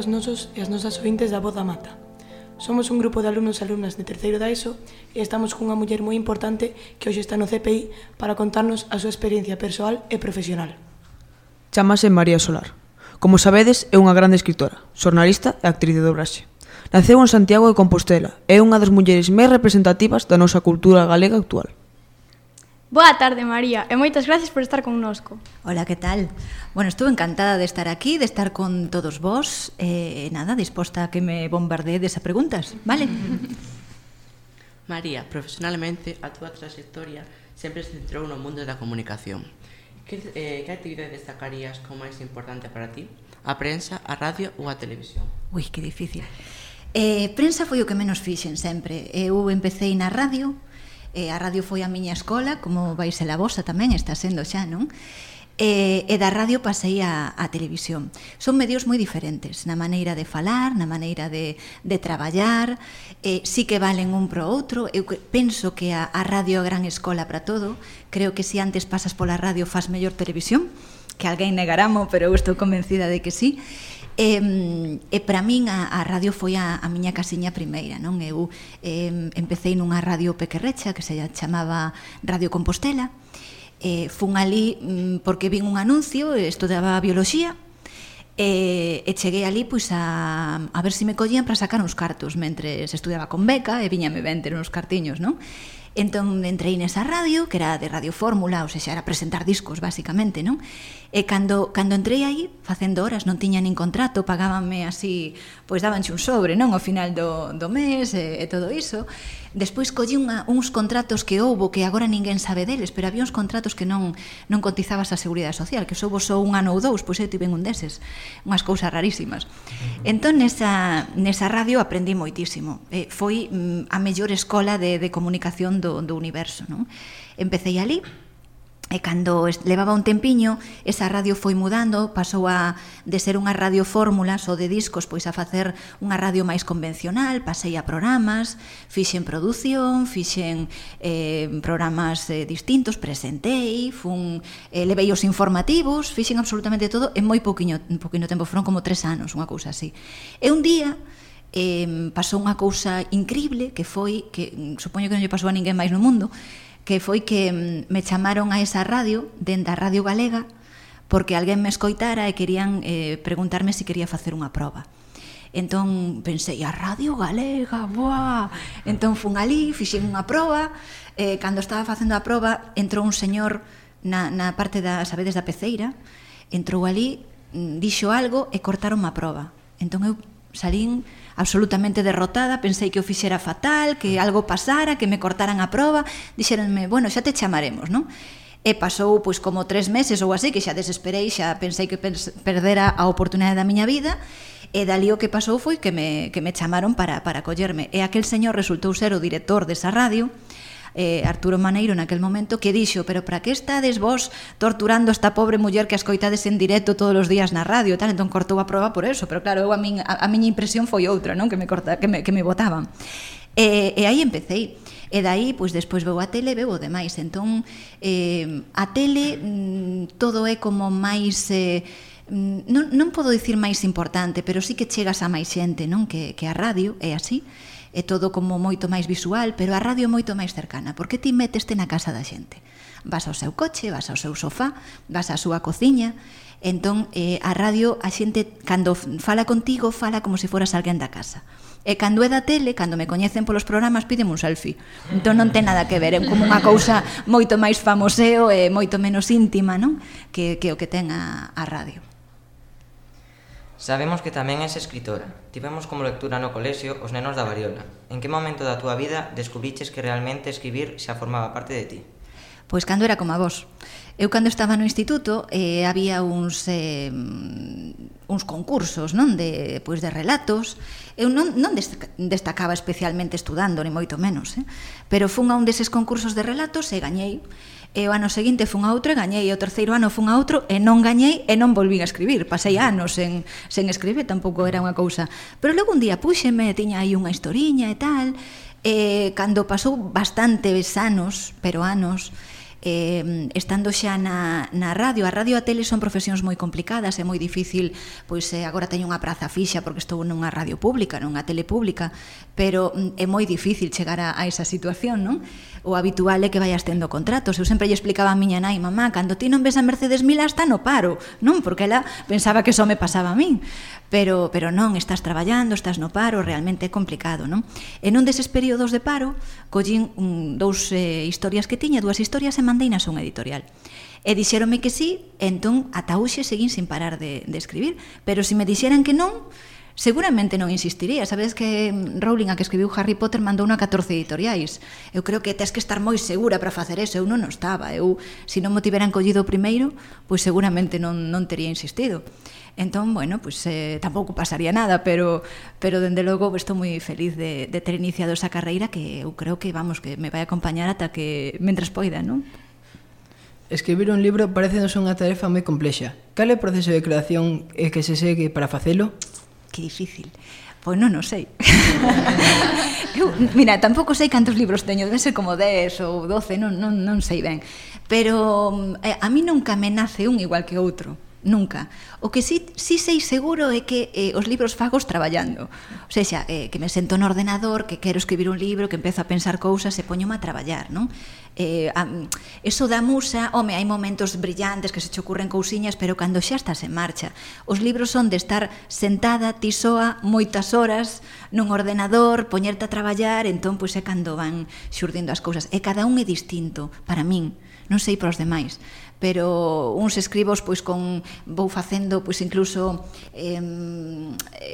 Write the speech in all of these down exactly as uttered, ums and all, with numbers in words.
aos nosos e as nosas ointes da Voz da Mata. Somos un grupo de alumnos e alumnas de terceiro da ESO e estamos cunha muller moi importante que hoxe está no C P I para contarnos a súa experiencia persoal e profesional. Chámase María Solar. Como sabedes, é unha grande escritora, xornalista e actriz de dobraxe. Naceu en Santiago de Compostela e é unha das mulleres máis representativas da nosa cultura galega actual. Boa tarde, María, e moitas gracias por estar connosco. Hola, que tal? Bueno, estuve encantada de estar aquí, de estar con todos vos, e eh, nada, disposta a que me bombardeedes a preguntas, vale? María, profesionalmente, a túa trayectoria sempre se centrou no mundo da comunicación. Que, eh, que actividade destacarías como máis importante para ti? A prensa, a radio ou a televisión? Ui, que difícil. Eh, prensa foi o que menos fixen sempre. Eu empecé na radio, e a radio foi a miña escola, como vai ser a vosa tamén, está sendo xa, non? E, e da radio pasei a, a televisión. Son medios moi diferentes na maneira de falar, na maneira de, de traballar, eh, sí que valen un pro outro. Eu penso que a, a radio é a gran escola para todo. Creo que se antes pasas pola radio faz mellor televisión, que alguén negaramo, pero eu estou convencida de que sí. E, e para min a, a radio foi a, a miña casiña primeira, non? Eu eh, empecé nunha radio pequerrecha que se chamaba Radio Compostela. Eh, fun ali mm, porque vin un anuncio, estudaba bioloxía, e, e cheguei ali pois a, a ver se me collían para sacar uns cartos mentre estudaba con beca e viñame ben ter uns cartiños, non? Entón entrei nesa radio, que era de Radio Fórmula, ou seja, era presentar discos, basicamente, non? E cando, cando entrei aí, facendo horas, non tiña nin contrato, pagábanme así, pois dabanche un sobre, non? Ao final do, do mes e, e todo iso. Despois collí unha, uns contratos que houbo, que agora ninguén sabe deles, pero había uns contratos que non, non cotizabas a Seguridade Social, que soubo só un ano ou dous, pois eu tive un deses, unhas cousas rarísimas. Entón, nesa, nesa radio aprendí moitísimo. Eh, foi mm, a mellor escola de, de comunicación do, do universo, non? Empecé ali, e cando levaba un tempiño, esa radio foi mudando, pasou a de ser unha radio fórmula só de discos, pois a facer unha radio máis convencional, pasei a programas, fixen produción, fixen eh, programas eh, distintos, presentei, fun, eh, levei os informativos, fixen absolutamente todo en moi pouquiño, en pouquiño tempo, foron como tres anos, unha cousa así. E un día eh, pasou unha cousa increíble, que foi, que supoño que non lle pasou a ninguén máis no mundo, que foi que me chamaron a esa radio, dentro da Radio Galega, porque alguén me escoitara e querían eh, preguntarme se quería facer unha proba. Entón pensei, a Radio Galega, boa! Entón fun ali, fixen unha proba, e eh, cando estaba facendo a proba, entrou un señor na, na parte da, sabedes, da peceira, entrou ali, dixo algo e cortaron a proba. Entón eu salín absolutamente derrotada, pensei que o fixera fatal, que algo pasara, que me cortaran a proba, dixeronme, bueno, xa te chamaremos, non? E pasou pois como tres meses ou así, que xa desesperei, xa pensei que perdera a oportunidade da miña vida, e dali o que pasou foi que me, que me chamaron para, para collerme. E aquel señor resultou ser o director desa radio, eh, Arturo Maneiro naquel momento, que dixo, pero para que estades vos torturando esta pobre muller que a escoitades en directo todos os días na radio e tal? Entón cortou a proba por eso, pero claro, eu a, min, a, a miña impresión foi outra, non? Que me, corta, que me, que me botaban. E, e aí empecei. E daí, pois, despois veu a tele, veu o demais. Entón, eh, a tele, mm, todo é como máis... Eh, non, non podo dicir máis importante, pero sí que chegas a máis xente, non? Que, que a radio é así. É todo como moito máis visual, pero a radio é moito máis cercana, porque ti meteste na casa da xente. Vas ao seu coche, vas ao seu sofá, vas á súa cociña, entón eh, a radio, a xente, cando fala contigo, fala como se foras alguén da casa. E cando é da tele, cando me coñecen polos programas, pídeme un selfie. Entón non ten nada que ver, é como unha cousa moito máis famoseo e moito menos íntima, non? Que, que o que ten a, a radio. Sabemos que tamén és escritora. Tivemos como lectura no colexio Os nenos da variola. En que momento da túa vida descubriches que realmente escribir xa formaba parte de ti? Pois cando era como a vos. Eu cando estaba no instituto eh, había uns eh, uns concursos, non, de pois de relatos. Eu non non destacaba especialmente estudando, ni moito menos, eh? Pero fun a un deses concursos de relatos e gañei. E o ano seguinte fun a outro e gañei, e o terceiro ano fun a outro e non gañei e non volvín a escribir. Pasei anos sen, sen escribir, tampouco era unha cousa. Pero logo un día púxeme, tiña aí unha historiña e tal, e cando pasou bastantes anos, pero anos, eh, estando xa na, na radio, a radio e a tele son profesións moi complicadas, é moi difícil, pois eh, agora teño unha praza fixa porque estou nunha radio pública, nunha tele pública, pero é moi difícil chegar a, a esa situación, non? O habitual é que vayas tendo contratos. Eu sempre lle explicaba a miña nai, mamá, cando ti non ves a Mercedes Milá está no paro, non? Porque ela pensaba que só me pasaba a min, pero, pero non, estás traballando, estás no paro, realmente é complicado, non? E nun deses períodos de paro, collín un, dous eh, historias que tiña, dúas historias e mandeinas a unha editorial. E dixéronme que sí, entón ata hoxe seguín sin parar de, de escribir, pero se me dixeran que non, seguramente non insistiría. Sabes que Rowling, a que escribiu Harry Potter, mandou unha catorce editoriais. Eu creo que tes que estar moi segura para facer eso. Eu non o estaba. Eu, se non me tiveran collido primeiro, pois seguramente non, non tería insistido. Entón, bueno, pues, eh, tampouco pasaría nada, pero, pero dende logo estou moi feliz de, de ter iniciado esa carreira que eu creo que, vamos, que me vai acompañar ata que, mentras poida, non? Escribir un libro parecenos unha tarefa moi complexa. Cal é o proceso de creación e que se segue para facelo? Que difícil. Pois non o sei. Eu, mira, tampouco sei cantos libros teño, debe ser como dez ou doce, non, non, non sei ben. Pero eh, a mí nunca me nace un igual que outro. Nunca. O que sí, sí sei seguro é que eh, os libros fagos traballando. O sexa, eh, que me sento no ordenador, que quero escribir un libro, que empezo a pensar cousas e poñome a traballar, non? Eh, a, eso da musa, home, hai momentos brillantes que se che ocurren cousiñas, pero cando xa estás en marcha. Os libros son de estar sentada, ti soa, moitas horas, nun ordenador, poñerte a traballar, entón, pois é cando van xurdindo as cousas. E cada un é distinto, para min. Non sei para os demais, pero uns escribos pois con vou facendo pois incluso eh,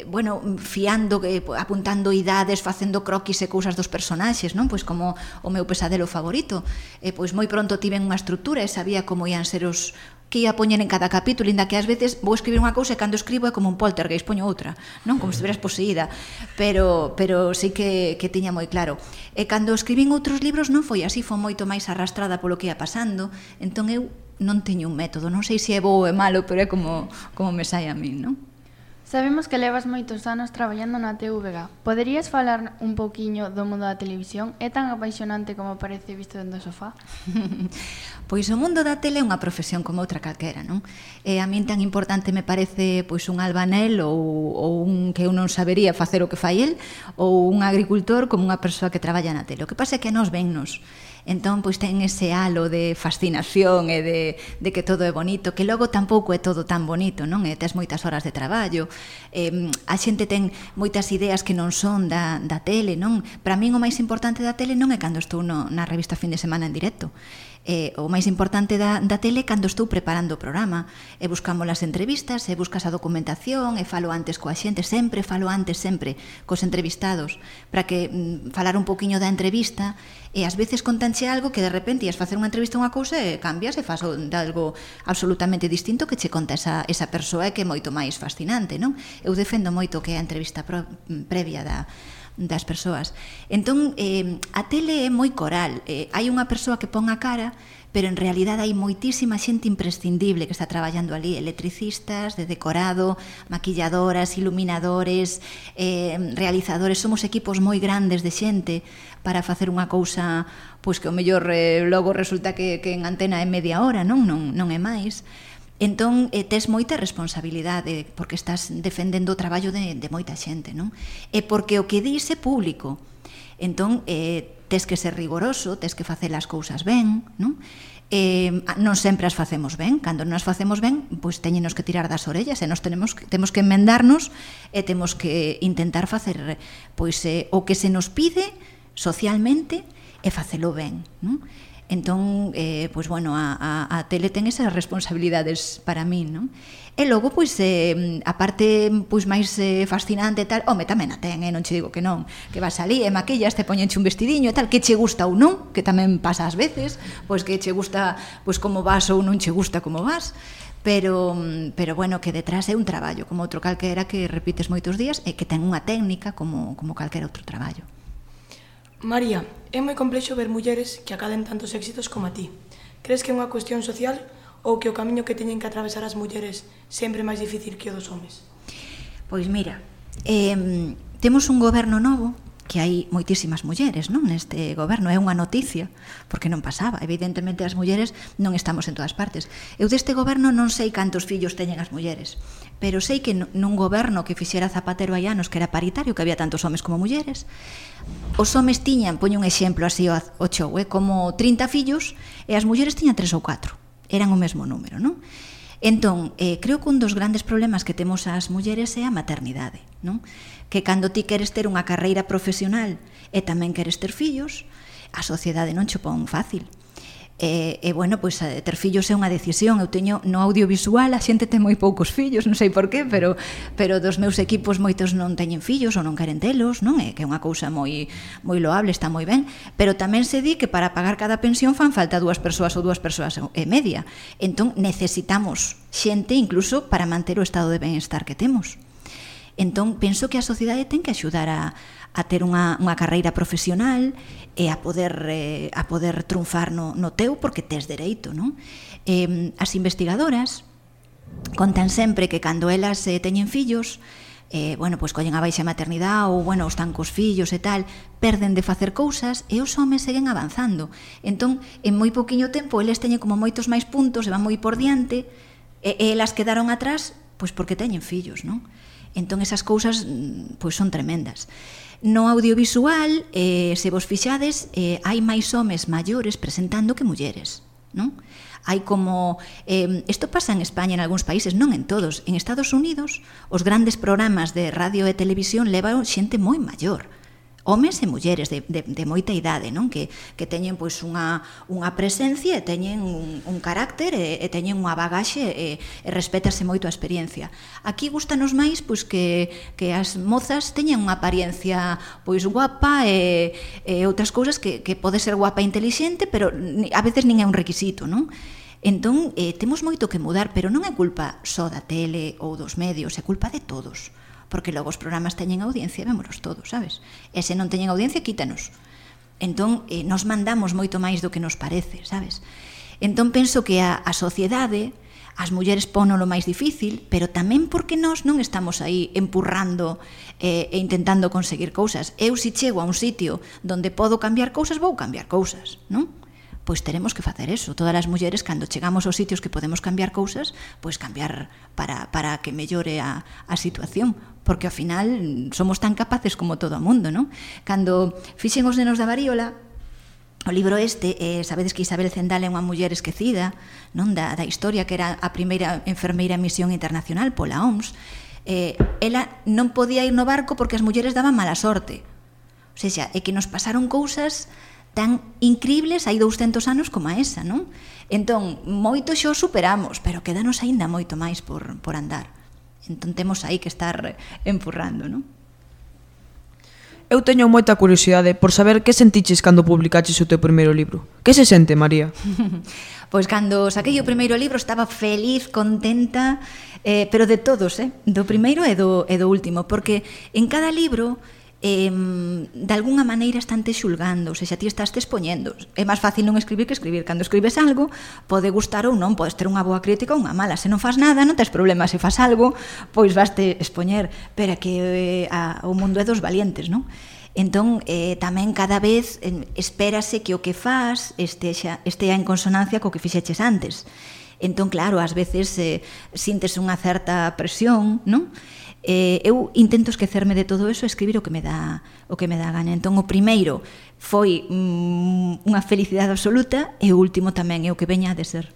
bueno, fiando, eh, apuntando idades, facendo croquis e cousas dos personaxes, non? Pois como o meu pesadelo favorito. E pois moi pronto tiven unha estrutura e sabía como ian ser os que ia poñer en cada capítulo, inda que ás veces vou escribir unha cousa e cando escribo é como un poltergeist, poño outra, non? Como se estiveras poseída, pero, pero sí que, que tiña moi claro. E cando escribín outros libros non foi así, foi moito máis arrastrada polo que ia pasando, entón eu non teño un método, non sei se é bo ou é malo, pero é como, como me sai a min, non? Sabemos que levas moitos anos traballando na T V G. Poderías falar un pouquiño do mundo da televisión? É tan apaixonante como parece visto dentro do sofá? Pois o mundo da tele é unha profesión como outra calquera, non? E a min tan importante me parece pois un albanel ou, ou un que eu non sabería facer o que fai el, ou un agricultor como unha persoa que traballa na tele. O que pasa é que nos vennos. Entón, pois ten ese halo de fascinación e de, de que todo é bonito, que logo tampouco é todo tan bonito, non? E tes moitas horas de traballo, eh, a xente ten moitas ideas que non son da, da tele, non? Para min o máis importante da tele non é cando estou no, na revista Fin de Semana en directo. Eh, o máis importante da, da tele cando estou preparando o programa e buscamos as entrevistas e buscas a documentación e falo antes coa xente, sempre falo antes sempre cos entrevistados para que mm, falar un poquinho da entrevista e ás veces contanche algo que de repente ias facer unha entrevista a unha cousa e cambias e faz de algo absolutamente distinto que che conta esa, esa persoa e que é moito máis fascinante, non? Eu defendo moito que é a entrevista pro, previa da das persoas. Entón, eh, a tele é moi coral. Eh, hai unha persoa que pon a cara, pero en realidad hai moitísima xente imprescindible que está traballando ali, electricistas, de decorado, maquilladoras, iluminadores, eh, realizadores, somos equipos moi grandes de xente para facer unha cousa pois que o mellor eh, logo resulta que, que en antena é media hora, non, non, non é máis. Entón, eh, tes moita responsabilidade porque estás defendendo o traballo de, de moita xente, non? E porque o que dis é público. Entón, eh, tes que ser rigoroso, tes que facer as cousas ben, non? Eh, non sempre as facemos ben, cando non as facemos ben, pois teñenos que tirar das orellas e nos tenemos que, temos que enmendarnos e temos que intentar facer pois eh, o que se nos pide socialmente e facelo ben, non? Entón, eh, pois, bueno, a, a, a tele ten esas responsabilidades para min, non? E logo, pois, eh, a parte pois, máis eh, fascinante e tal, home, tamén a ten, eh, non che digo que non, que vas ali e maquillas, te poñenche un vestidiño e tal, que che gusta ou non, que tamén pasa ás veces, pois que che gusta pois como vas ou non che gusta como vas, pero, pero bueno, que detrás é un traballo, como outro calquera que repites moitos días e que ten unha técnica como, como calquera outro traballo. María, é moi complexo ver mulleres que acaden tantos éxitos como a ti. Crees que é unha cuestión social ou que o camiño que teñen que atravesar as mulleres sempre é máis difícil que o dos homes? Pois mira, eh, temos un goberno novo que hai moitísimas mulleres, non, neste goberno, é unha noticia, porque non pasaba, evidentemente as mulleres non estamos en todas partes. Eu deste goberno non sei cantos fillos teñen as mulleres, pero sei que nun goberno que fixera Zapatero hai anos, que era paritario, que había tantos homes como mulleres, os homes tiñan, poño un exemplo así o chou, eh, como trinta fillos, e as mulleres tiñan tres ou catro, eran o mesmo número, non? Entón, eh, creo que un dos grandes problemas que temos as mulleres é a maternidade, non? Que cando ti queres ter unha carreira profesional e tamén queres ter fillos, a sociedade non che pon fácil. E, e bueno, pois ter fillos é unha decisión. Eu teño no audiovisual, a xente ten moi poucos fillos, non sei por qué, pero pero dos meus equipos moitos non teñen fillos ou non queren telos, non? É que é unha cousa moi moi loable, está moi ben, pero tamén se di que para pagar cada pensión fan falta dúas persoas ou dúas persoas e media. Entón necesitamos xente incluso para manter o estado de benestar que temos. Entón, penso que a sociedade ten que axudar a, a ter unha, unha carreira profesional e a poder, eh, a poder triunfar no, no teu, porque tes dereito, non? Eh, as investigadoras contan sempre que cando elas eh, teñen fillos, eh, bueno, pois collen a baixa maternidade ou, bueno, están cos fillos e tal, perden de facer cousas e os homes seguen avanzando. Entón, en moi poquinho tempo, eles teñen como moitos máis puntos e van moi por diante e, e elas quedaron atrás, pois porque teñen fillos, non? Entón, esas cousas pois son tremendas. No audiovisual, eh, se vos fixades, eh, hai máis homes maiores presentando que mulleres, non? Hai como... Eh, isto pasa en España, en algúns países, non en todos. En Estados Unidos, os grandes programas de radio e televisión levan xente moi maior. Homes e mulleres de, de, de moita idade, non? Que, que teñen pois unha, unha presencia e teñen un, un carácter e, e teñen unha bagaxe e, e respétase moito a experiencia. Aquí gustanos máis pois que, que as mozas teñen unha apariencia pois guapa e, e outras cousas que, que pode ser guapa e intelixente, pero a veces nin é un requisito, non? Entón, eh, temos moito que mudar, pero non é culpa só da tele ou dos medios, é culpa de todos. Porque logo os programas teñen audiencia, vémolos todos, sabes? E se non teñen audiencia, quítanos. Entón, eh, nos mandamos moito máis do que nos parece, sabes? Entón, penso que a, a sociedade, as mulleres pono lo máis difícil, pero tamén porque nós non estamos aí empurrando eh, e intentando conseguir cousas. Eu, se chego a un sitio donde podo cambiar cousas, vou cambiar cousas, non? Pois teremos que facer eso. Todas as mulleres, cando chegamos aos sitios que podemos cambiar cousas, pois cambiar para, para que mellore a, a situación, porque ao final somos tan capaces como todo o mundo, non? Cando fixen Os nenos da varíola, o libro este, eh, sabedes que Isabel Zendal é unha muller esquecida, non, da, da historia, que era a primeira enfermeira en misión internacional pola O M S, eh, ela non podía ir no barco porque as mulleres daban mala sorte. O sea, é que nos pasaron cousas tan increíbles hai douscentos anos como a esa, non? Entón, moito xo superamos, pero quedanos aínda moito máis por, por andar. Entón, temos aí que estar empurrando, non? Eu teño moita curiosidade por saber que sentiches cando publicaches o teu primeiro libro. Que se sente, María? Pois cando saquei o primeiro libro estaba feliz, contenta, eh, pero de todos, eh? Do primeiro e do, e do último, porque en cada libro eh, de alguna maneira están te xulgando, ou seja, ti estás te expoñendo. É máis fácil non escribir que escribir. Cando escribes algo, pode gustar ou non, podes ter unha boa crítica ou unha mala. Se non faz nada, non tes problema. Se faz algo, pois vas te expoñer. Pero que eh, a, o mundo é dos valientes, non? Entón, eh, tamén cada vez eh, espérase que o que faz estea, estea en consonancia co que fixeches antes. Entón, claro, ás veces eh, sintes unha certa presión, non? Eh, eu intento esquecerme de todo eso e escribir o que me dá o que me dá gana. Entón, o primeiro foi mm, unha felicidade absoluta e o último tamén é o que veña de ser.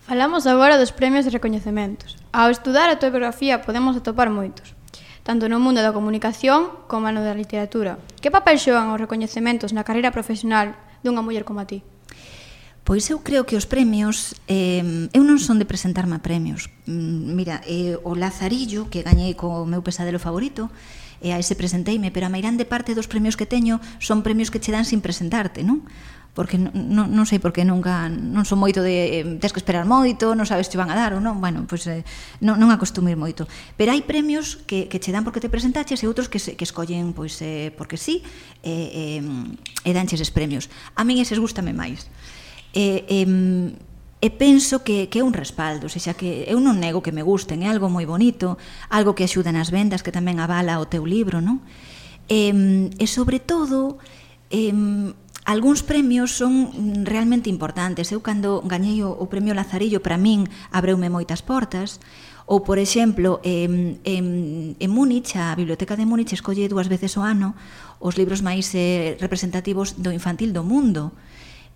Falamos agora dos premios e recoñecementos. Ao estudar a tua biografía podemos atopar moitos, tanto no mundo da comunicación como no da literatura. Que papel xogan os recoñecementos na carreira profesional dunha muller como a ti? Pois eu creo que os premios, eh, eu non son de presentarme a premios. Mira, eh, o Lazarillo, que gañei co meu pesadelo favorito, e a ese presenteime, pero a mairande parte dos premios que teño son premios que che dan sin presentarte, non? Porque non, non, non sei por que nunca, non son moito de, eh, tes que esperar moito, non sabes se van a dar ou non, bueno, pois eh, non, non acostumo ir moito. Pero hai premios que, que che dan porque te presentaches e outros que, se, que escollen pois, eh, porque sí, e, eh, e danches eses premios. A min eses gústame máis. E, e, e penso que, que é un respaldo, ou seja, que eu non nego que me gusten, é algo moi bonito, algo que axuda nas vendas, que tamén avala o teu libro, non? E, e sobre todo, eh, algúns premios son realmente importantes. Eu, cando gañei o, o premio Lazarillo, para min abreume moitas portas. Ou, por exemplo, en, en, en Múnich, a Biblioteca de Múnich escolle dúas veces ao ano os libros máis eh, representativos do infantil do mundo.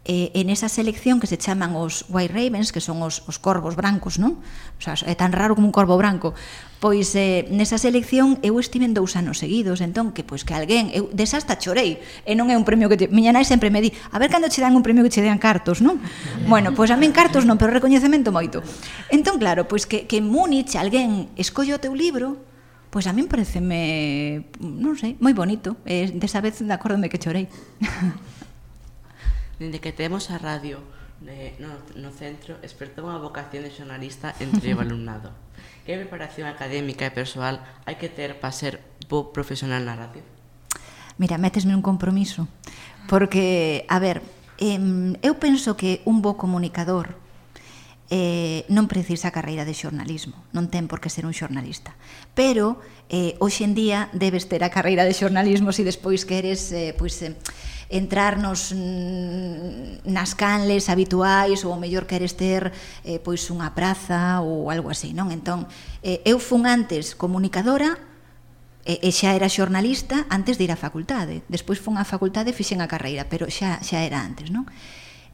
Eh, en esa selección que se chaman os White Ravens, que son os, os corvos brancos, non? O sea, é tan raro como un corvo branco. Pois eh, nesa selección eu estive en dous anos seguidos, entón que pois que alguén, eu desa hasta chorei, e non é un premio que te, miña nai sempre me di, a ver cando che dan un premio que che dean cartos, non? Bueno, pois a min cartos non, pero recoñecemento moito. Entón claro, pois que, que en Múnich alguén escolle o teu libro, pois a min pareceme, non sei, moi bonito, e desa vez acórdome que chorei. Dende que temos a radio eh, no, no centro, despertou unha vocación de xornalista entre o alumnado. Que preparación académica e persoal hai que ter para ser bo profesional na radio? Mira, métesme un compromiso, porque, a ver, eh, eu penso que un bo comunicador eh, non precisa carreira de xornalismo, non ten por que ser un xornalista, pero eh, hoxe en día debes ter a carreira de xornalismo se despois queres eh, pois, eh, entrar nos, nas canles habituais ou ao mellor queres ter eh, pois unha praza ou algo así, non? Entón, eh, eu fun antes comunicadora e, e xa era xornalista antes de ir á facultade. Despois fun á facultade e fixen a carreira, pero xa, xa era antes, non?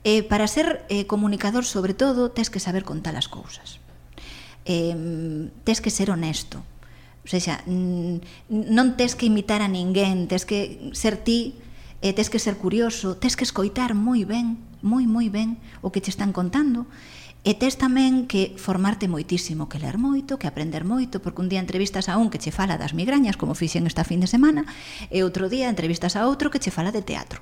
Eh, para ser eh, comunicador, sobre todo, tes que saber contar as cousas. Eh, tes que ser honesto. O sea, non tes que imitar a ninguén, tes que ser ti, e tes que ser curioso, tes que escoitar moi ben, moi, moi ben o que te están contando, e tes tamén que formarte moitísimo, que ler moito, que aprender moito, porque un día entrevistas a un que che fala das migrañas, como fixen esta fin de semana, e outro día entrevistas a outro que che fala de teatro.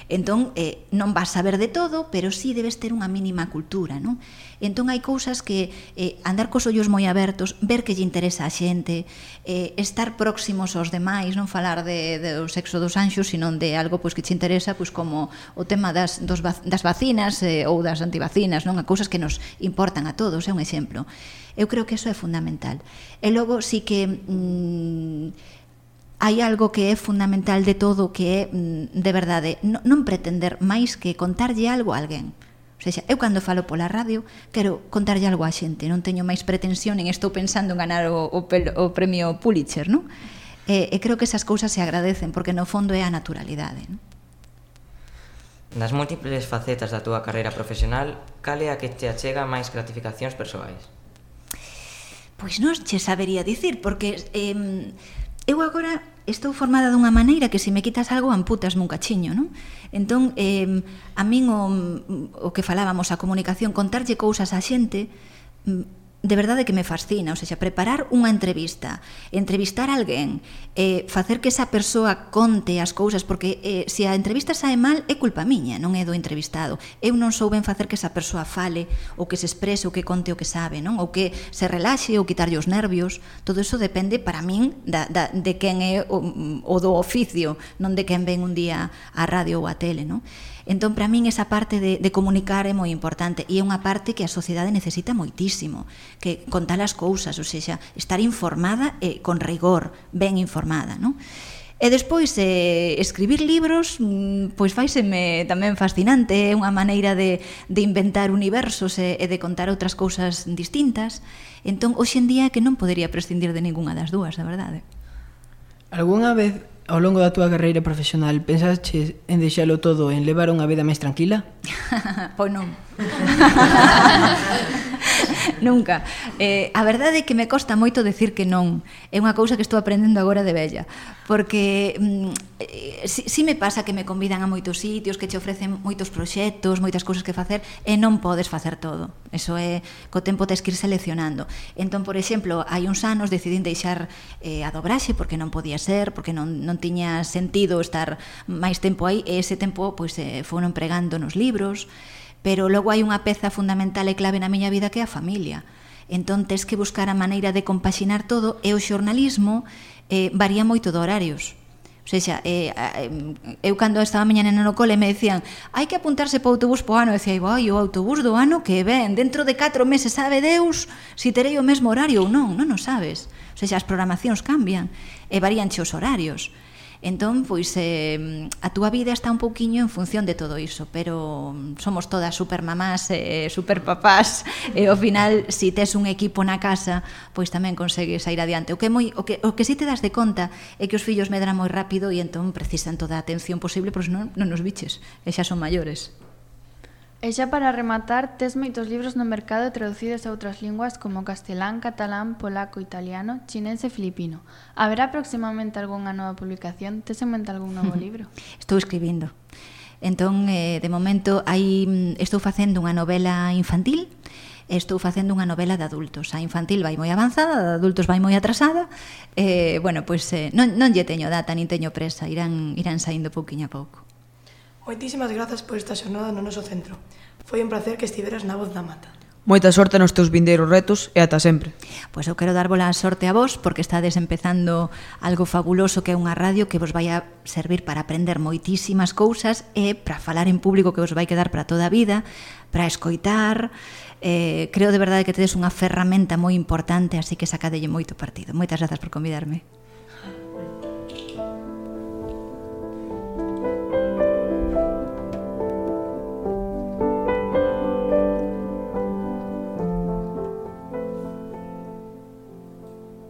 Entón, eh, non vas saber de todo, pero sí debes ter unha mínima cultura, non? Entón, hai cousas que eh, andar cos ollos moi abertos, ver que lle interesa a xente, eh, estar próximos aos demais, non falar de, de o sexo dos anxos, sino de algo pois, que che interesa, pois, como o tema das, dos, das vacinas eh, ou das antivacinas, non? A cousas que nos importan a todos, é un exemplo. Eu creo que eso é fundamental. E logo, sí que... Mmm, hai algo que é fundamental de todo, que é, de verdade, non pretender máis que contarlle algo a alguén. O sea, eu cando falo pola radio quero contarlle algo á xente, non teño máis pretensión, nin estou pensando en ganar o, o, o premio Pulitzer, non? E, e creo que esas cousas se agradecen, porque no fondo é a naturalidade, non? Das múltiples facetas da túa carreira profesional, cal é a que te achega máis gratificacións persoais? Pois non che sabería dicir, porque... Eh, eu agora estou formada dunha maneira que se me quitas algo amputasme un cachiño, non? Entón, eh, a min o, o que falábamos, a comunicación, contarlle cousas á xente, de verdade que me fascina, ou seja, preparar unha entrevista, entrevistar a alguén, eh, facer que esa persoa conte as cousas, porque eh, se a entrevista sae mal é culpa miña, non é do entrevistado. Eu non souben facer que esa persoa fale, ou que se exprese, ou que conte o que sabe, non? Ou que se relaxe, ou quitarlle os nervios. Todo iso depende, para min, da, da, de quen é o, o do oficio, non de quen ven un día á radio ou á tele, non? Entón, para min, esa parte de, de comunicar é moi importante, e é unha parte que a sociedade necesita moitísimo, que contar as cousas, ou seja, estar informada e con rigor, ben informada, non? E despois, eh, escribir libros, pois faiseme tamén fascinante, é unha maneira de, de inventar universos e, e de contar outras cousas distintas. Entón, hoxe en día é que non podería prescindir de ningunha das dúas, a verdade. Algúnha vez, ao longo da túa carreira profesional, pensaches en deixalo todo, en levar unha vida máis tranquila? Pois non. Nunca. Eh, a verdade é que me costa moito decir que non. É unha cousa que estou aprendendo agora de vella. Porque mm, eh, si, si me pasa que me convidan a moitos sitios, que te ofrecen moitos proxectos, moitas cousas que facer, e non podes facer todo. Eso é, co tempo tes que ir seleccionando. Entón, por exemplo, hai uns anos decidín deixar eh, a dobraxe porque non podía ser, porque non, non tiña sentido estar máis tempo aí, e ese tempo pois, eh, foron empregando nos libros. Pero logo hai unha peza fundamental e clave na miña vida que é a familia. Entón, tes que buscar a maneira de compaxinar todo, e o xornalismo eh, varía moito de horarios. O sea, eh, eu cando estaba a miña nena no cole me decían hai que apuntarse para o autobús po ano, e decía, vai, o autobús do ano que ven, dentro de catro meses sabe Deus si terei o mesmo horario ou non, non o sabes. O sea, as programacións cambian e varíanche os horarios. Entón, pois, eh, a túa vida está un pouquiño en función de todo iso, pero somos todas supermamás, eh, superpapás, e ao final, se si tes un equipo na casa, pois tamén consegues sair adiante. O que, moi, o que, o que si te das de conta é que os fillos medran moi rápido e entón precisan toda a atención posible, pois non, non nos biches, e xa son maiores. E xa para rematar, tes moitos libros no mercado traducidos a outras linguas como castelán, catalán, polaco, italiano, chinés e filipino. Haberá próximamente algunha nova publicación? Tes en mente algún novo libro? Estou escribindo. Entón, eh, de momento, hai, estou facendo unha novela infantil, e estou facendo unha novela de adultos. A infantil vai moi avanzada, a de adultos vai moi atrasada. Eh, bueno, pois eh, non, non lle teño data, nin teño presa, irán, irán saindo pouquiño a pouco. Moitísimas grazas por esta xornada no noso centro. Foi un placer que estiveras na Voz da Mata. Moita sorte nos teus vindeiros retos e ata sempre. Pois eu quero darvos a sorte a vos porque estades empezando algo fabuloso que é unha radio que vos vai a servir para aprender moitísimas cousas e para falar en público que vos vai quedar para toda a vida, para escoitar. Eh, creo de verdade que tedes unha ferramenta moi importante, así que sacadelle moito partido. Moitas grazas por convidarme.